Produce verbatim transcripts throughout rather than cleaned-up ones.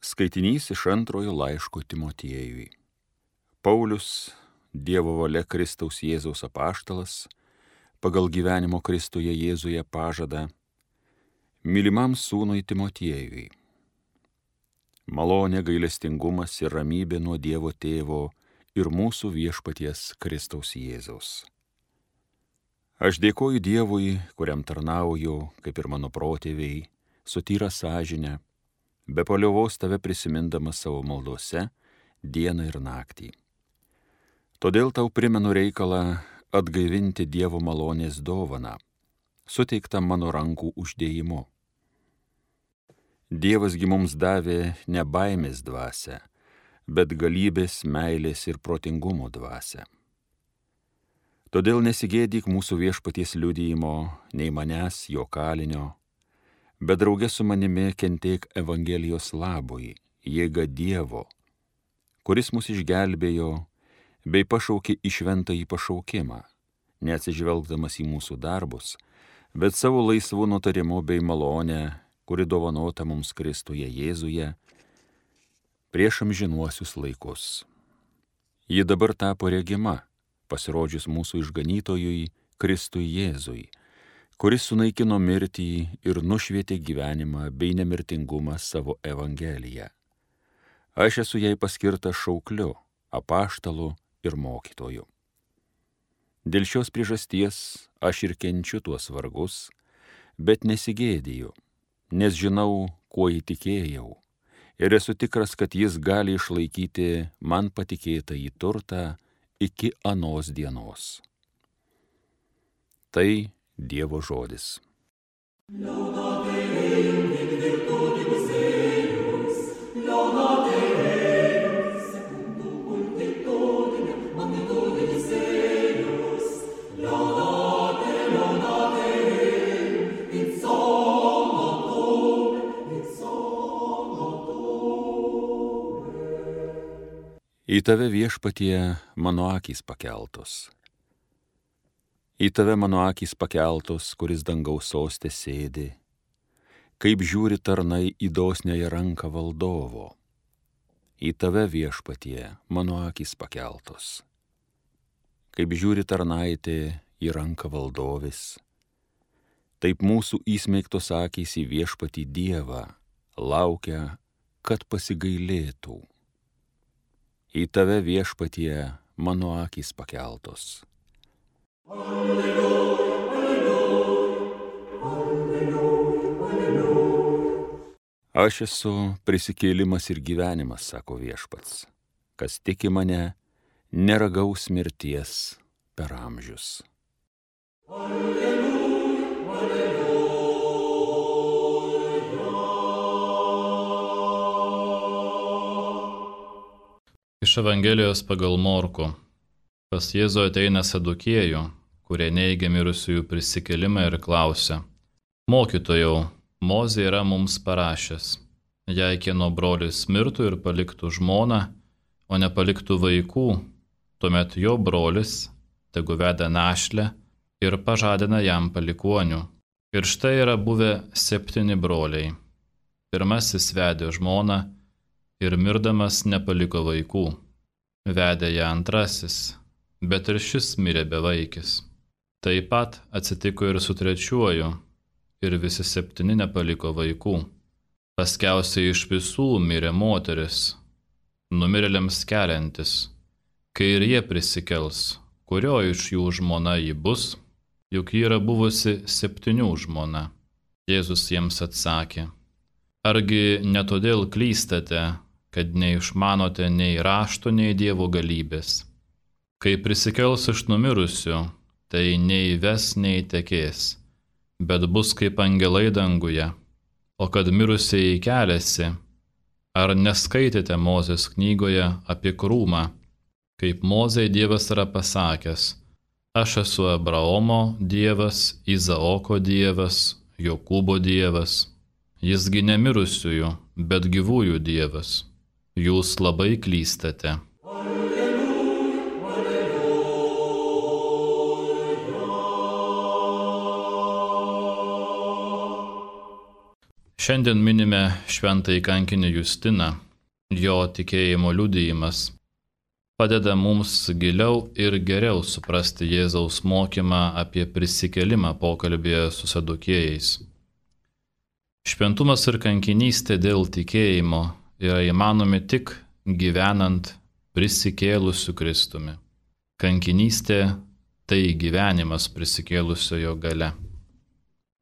Skaitinys iš antrojo laiško Timotiejui. Paulius, Dievo valia Kristaus Jėzaus apaštalas, pagal gyvenimo Kristuje Jėzuje pažadą, mylimam sūnui Timotiejui. Malonė, gailestingumas ir ramybė nuo Dievo Tėvo ir mūsų viešpaties Kristaus Jėzaus. Aš dėkoju Dievui, kuriam tarnauju, kaip ir mano protėviai, su tyra sąžine, be paliovos tave prisimindamas savo maldose dieną ir naktį. Todėl tau primenu reikalą atgaivinti Dievo malonės dovaną, suteiktą mano rankų uždėjimu. Dievas gi mums davė ne baimės dvasią, bet galybės, meilės ir protingumo dvasią. Todėl nesigėdyk mūsų viešpaties liudijimo, nei manęs, jo kalinio, bet drauge su manimi kentėk Evangelijos labui, jėga Dievo, kuris mus išgelbėjo bei pašaukė į šventąjį pašaukimą, neatsižvelgdamas į mūsų darbus, bet savo laisvų nutarimu bei malonę, kuri dovanota mums Kristuje Jėzuje prieš amžinuosius laikus. Ji dabar tapo regima, pasirodžius mūsų išganytojui Kristui Jėzui, kuris sunaikino mirtį ir nušvietė gyvenimą bei nemirtingumą savo Evangeliją. Aš esu jai paskirtas šaukliu, apaštalu ir mokytoju. Dėl šios priežasties aš ir kenčiu tuos vargus, bet nesigėdiju, nes žinau, kuo įtikėjau, ir esu tikras, kad jis gali išlaikyti man patikėtą į turtą iki anos dienos. Tai Dievo žodis. Į tave viešpatie mano akys pakeltos. Į tave mano akys pakeltos, kuris dangaus soste sėdi, kaip žiūri tarnai į dosniąją ranką valdovo. Į tave viešpatie mano akys pakeltos, kaip žiūri tarnaitė į ranką valdovis. Taip mūsų įsmeigtos akys į viešpatį Dievą laukia, kad pasigailėtų. Į tave viešpatie mano akys pakeltos. Alleluja, alleluja, alleluja, alleluja. Aš esu prisikėlimas ir gyvenimas, sako viešpats. Kas tiki mane, neragaus mirties per amžius. Alleluja, alleluja. Iš Evangelijos pagal Morkų. Pas Jėzų ateina sadukiejų, kurie neigia mirusiųjų prisikėlimą ir klausia: Mokytojau, Mozė yra mums parašęs, jei kieno brolis mirtų ir paliktų žmoną, o nepaliktų vaikų, tuomet jo brolis tegu veda našlę ir pažadina jam palikuonių. Ir štai yra buvę septyni broliai. Pirmasis vedė žmoną ir mirdamas nepaliko vaikų. Vedė ją antrasis, bet ir šis mirė bevaikis. Taip pat atsitiko ir su trečiuoju, ir visi septyni nepaliko vaikų. Paskiausiai iš visų mirė moteris, numirėliams keliantis. Kai ir jie prisikels, kurio iš jų žmona ji bus, juk ji yra buvusi septynių žmona. Jėzus jiems atsakė: Argi ne todėl klystate, kad neišmanote nei rašto, nei Dievo galybės? Kai prisikels iš numirusių, tai nei ves, nei tekės, bet bus kaip angelai danguje. O kad mirusieji keliasi, ar neskaitėte Mozės knygoje apie krūmą, kaip Mozei Dievas yra pasakęs: Aš esu Abraomo Dievas, Izaoko Dievas, Jokūbo Dievas. Jisgi ne mirusiųjų, bet gyvųjų Dievas. Jūs labai klystate. Šiandien minime šventąjį kankinį Justiną. Jo tikėjimo liudijimas padeda mums giliau ir geriau suprasti Jėzaus mokymą apie prisikėlimą pokalbėje su sadukėjais. Šventumas ir kankinystė dėl tikėjimo yra įmanomi tik gyvenant prisikėlusiu Kristumi. Kankinystė tai gyvenimas prisikėlusiojo gale.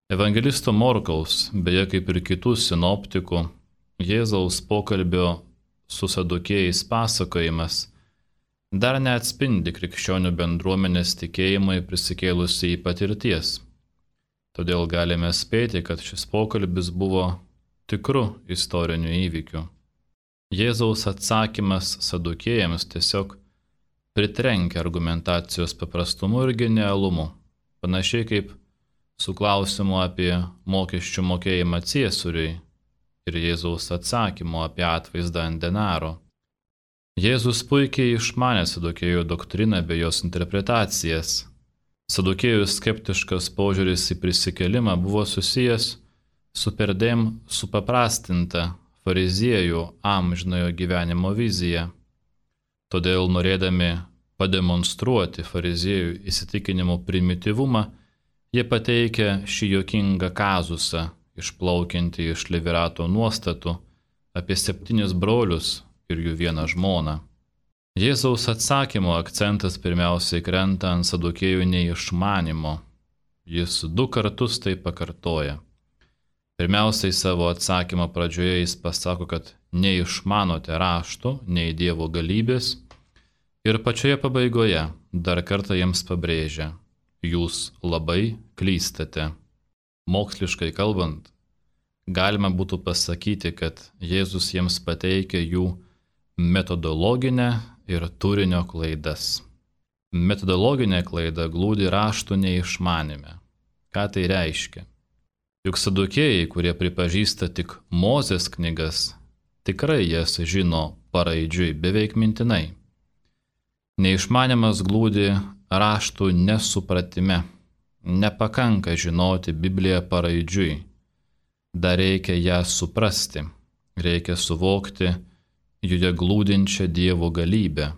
Evangelisto Morkaus, beje kaip ir kitų sinoptikų, Jėzaus pokalbio su sadukėjais pasakojimas dar neatspindi krikščionių bendruomenės tikėjimui prisikėlusiai patirties. Todėl galime spėti, kad šis pokalbis buvo tikru istoriniu įvykiu. Jėzaus atsakymas sadukėjams tiesiog pritrenkia argumentacijos paprastumu ir genialumu, panašiai kaip su klausimu apie mokesčių mokėjimą Ciesoriui ir Jėzaus atsakymu apie atvaizdą ant denaro. Jėzus puikiai išmanė sadukėjų doktriną bei jos interpretacijas. Sadukėjų skeptiškas požiūris į prisikėlimą buvo susijęs su perdėm supaprastinta fariziejų amžinojo gyvenimo vizija. Todėl, norėdami pademonstruoti fariziejų įsitikinimų primityvumą, jie pateikia šį juokingą kazusą, išplaukiantį iš Levirato nuostatų apie septynis brolius ir jų vieną žmoną. Jėzaus atsakymo akcentas pirmiausiai krenta ant sadukėjų neišmanimo. Jis du kartus tai pakartoja. Pirmiausiai savo atsakymo pradžioje jis pasako, kad neišmanote raštų, nei Dievo galybės, ir pačioje pabaigoje dar kartą jiems pabrėžia: jūs labai klystate. Moksliškai kalbant, galima būtų pasakyti, kad Jėzus jiems pateikia jų metodologinę ir turinio klaidas. Metodologinė klaida glūdi raštų neišmanime. Ką tai reiškia? Juk sadukėjai, kurie pripažįsta tik Mozės knygas, tikrai jas žino paraidžiui, beveik mintinai. Neišmanimas glūdi raštų nesupratime. Nepakanka žinoti Bibliją paraidžiui. Dar reikia ją suprasti. Reikia suvokti joje glūdinčią Dievo galybę.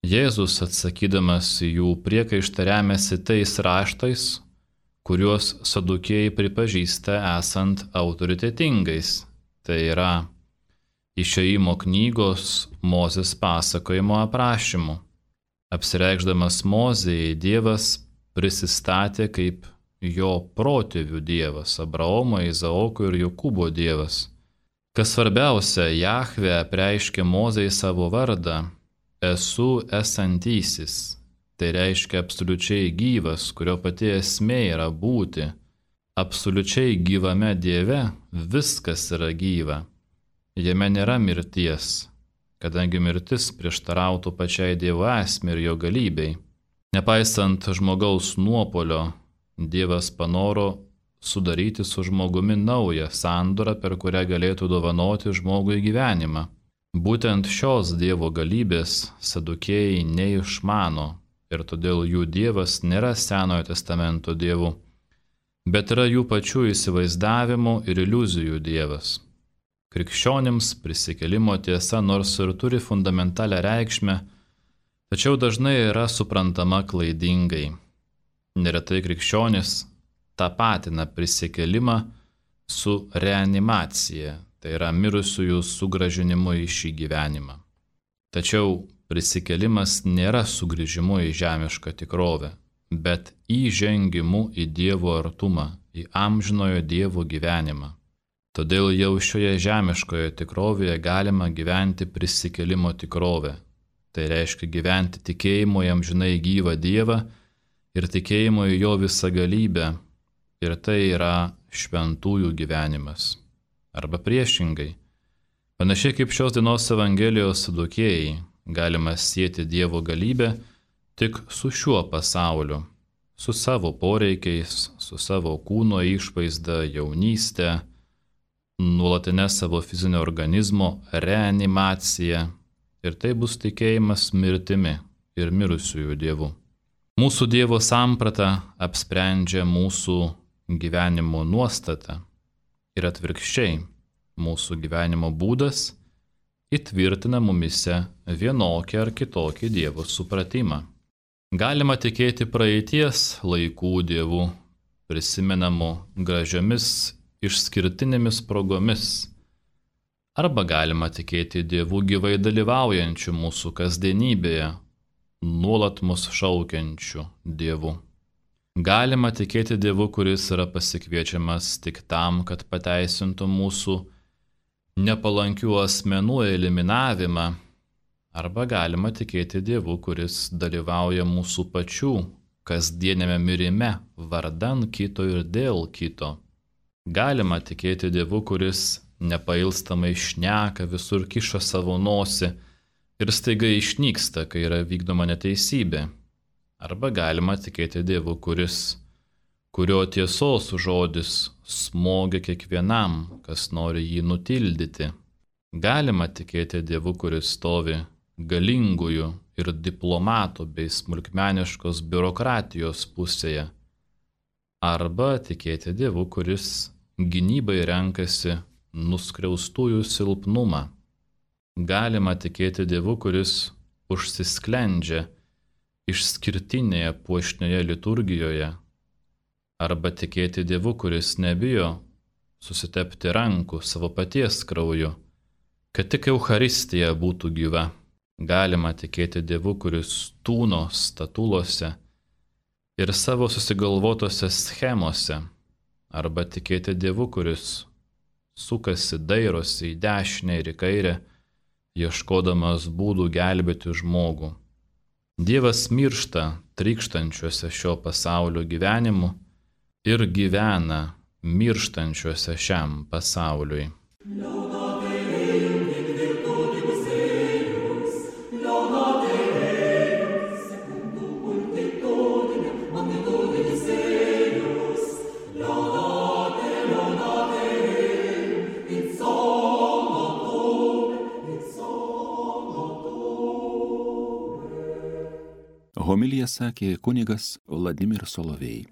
Jėzus, atsakydamas į jų priekaištą, remiasi tais raštais, kuriuos sadukėjai pripažįsta esant autoritetingais. Tai yra Išėjimo knygos Mozės pasakojimo aprašymu. Apsireikšdamas Mozei, Dievas prisistatė kaip jo protėvių Dievas, Abraomo, Izaoko ir Jokūbo Dievas. Kas svarbiausia, Jahvė apreiškė Mozei savo vardą: esu esantysis. Tai reiškia absoliučiai gyvas, kurio pati esmė yra būti. Absoliučiai gyvame Dieve viskas yra gyva. Jame nėra mirties, kadangi mirtis prieštarautų pačiai Dievo esmei ir jo galybei. Nepaisant žmogaus nuopolio, Dievas panoro sudaryti su žmogumi naują sandorą, per kurią galėtų dovanoti žmogui gyvenimą. Būtent šios Dievo galybės sadukėjai neišmano ir todėl jų Dievas nėra Senojo testamento Dievu, bet yra jų pačių įsivaizdavimų ir iliuzijų Dievas. Krikščionims prisikėlimo tiesa nors ir turi fundamentalią reikšmę, tačiau dažnai yra suprantama klaidingai. Neretai krikščionis tapatina prisikėlimą su reanimacija, tai yra mirusiųjų sugrąžinimu į šį gyvenimą. Tačiau prisikėlimas nėra sugrįžimu į žemišką tikrovę, bet įžengimu į Dievo artumą, į amžinojo Dievo gyvenimą. Todėl jau šioje žemiškoje tikrovėje galima gyventi prisikėlimo tikrovę. Tai reiškia gyventi tikėjimo į amžinai gyvą Dievą ir tikėjimo į jo visagalybę. Ir tai yra šventųjų gyvenimas. Arba priešingai. Panašiai kaip šios dienos Evangelijos sadukėjai, galima sieti Dievo galybę tik su šiuo pasauliu, su savo poreikiais, su savo kūno išvaizda, jaunyste, nuolatinė savo fizinio organizmo reanimacija, ir tai bus tikėjimas mirtimi ir mirusiųjų Dievu. Mūsų Dievo samprata apsprendžia mūsų gyvenimo nuostatą. Ir atvirkščiai, mūsų gyvenimo būdas įtvirtina mumise vienokį ar kitokį Dievo supratimą. Galima tikėti praeities laikų dievų, prisimenamų gražiomis išskirtinėmis progomis, arba galima tikėti dievų gyvai dalyvaujančių mūsų kasdienybėje, nuolat mus šaukiančių dievų. Galima tikėti Dievu, kuris yra pasikviečiamas tik tam, kad pateisintų mūsų nepalankių asmenų eliminavimą, arba galima tikėti Dievu, kuris dalyvauja mūsų pačių kasdienėme mirime vardan kito ir dėl kito. Galima tikėti Dievu, kuris nepailstamai šneka, visur kiša savo nosį ir staiga išnyksta, kai yra vykdoma neteisybė. Arba galima tikėti Dievu, kuris, kurio tiesos žodis smogia kiekvienam, kas nori jį nutildyti. Galima tikėti Dievu, kuris stovi galingųjų ir diplomatų bei smulkmeniškos biurokratijos pusėje. Arba tikėti Dievu, kuris gynybai renkasi nuskriaustųjų silpnumą. Galima tikėti Dievu, kuris užsisklendžia išskirtinėje puošnioje liturgijoje, arba tikėti Dievu, kuris nebijo susitepti rankų savo paties krauju, kad tik Eucharistija būtų gyva. Galima tikėti Dievu, kuris tūno statulose ir savo susigalvotose schemose, arba tikėti Dievu, kuris sukasi, dairosi į dešinę ir į kairę, ieškodamas būdų gelbėti žmogų. Dievas miršta trykštančiuose šio pasaulio gyvenimu ir gyvena mirštančiuose šiam pasauliui. Homiliją sakė kunigas Vladimiras Solovej.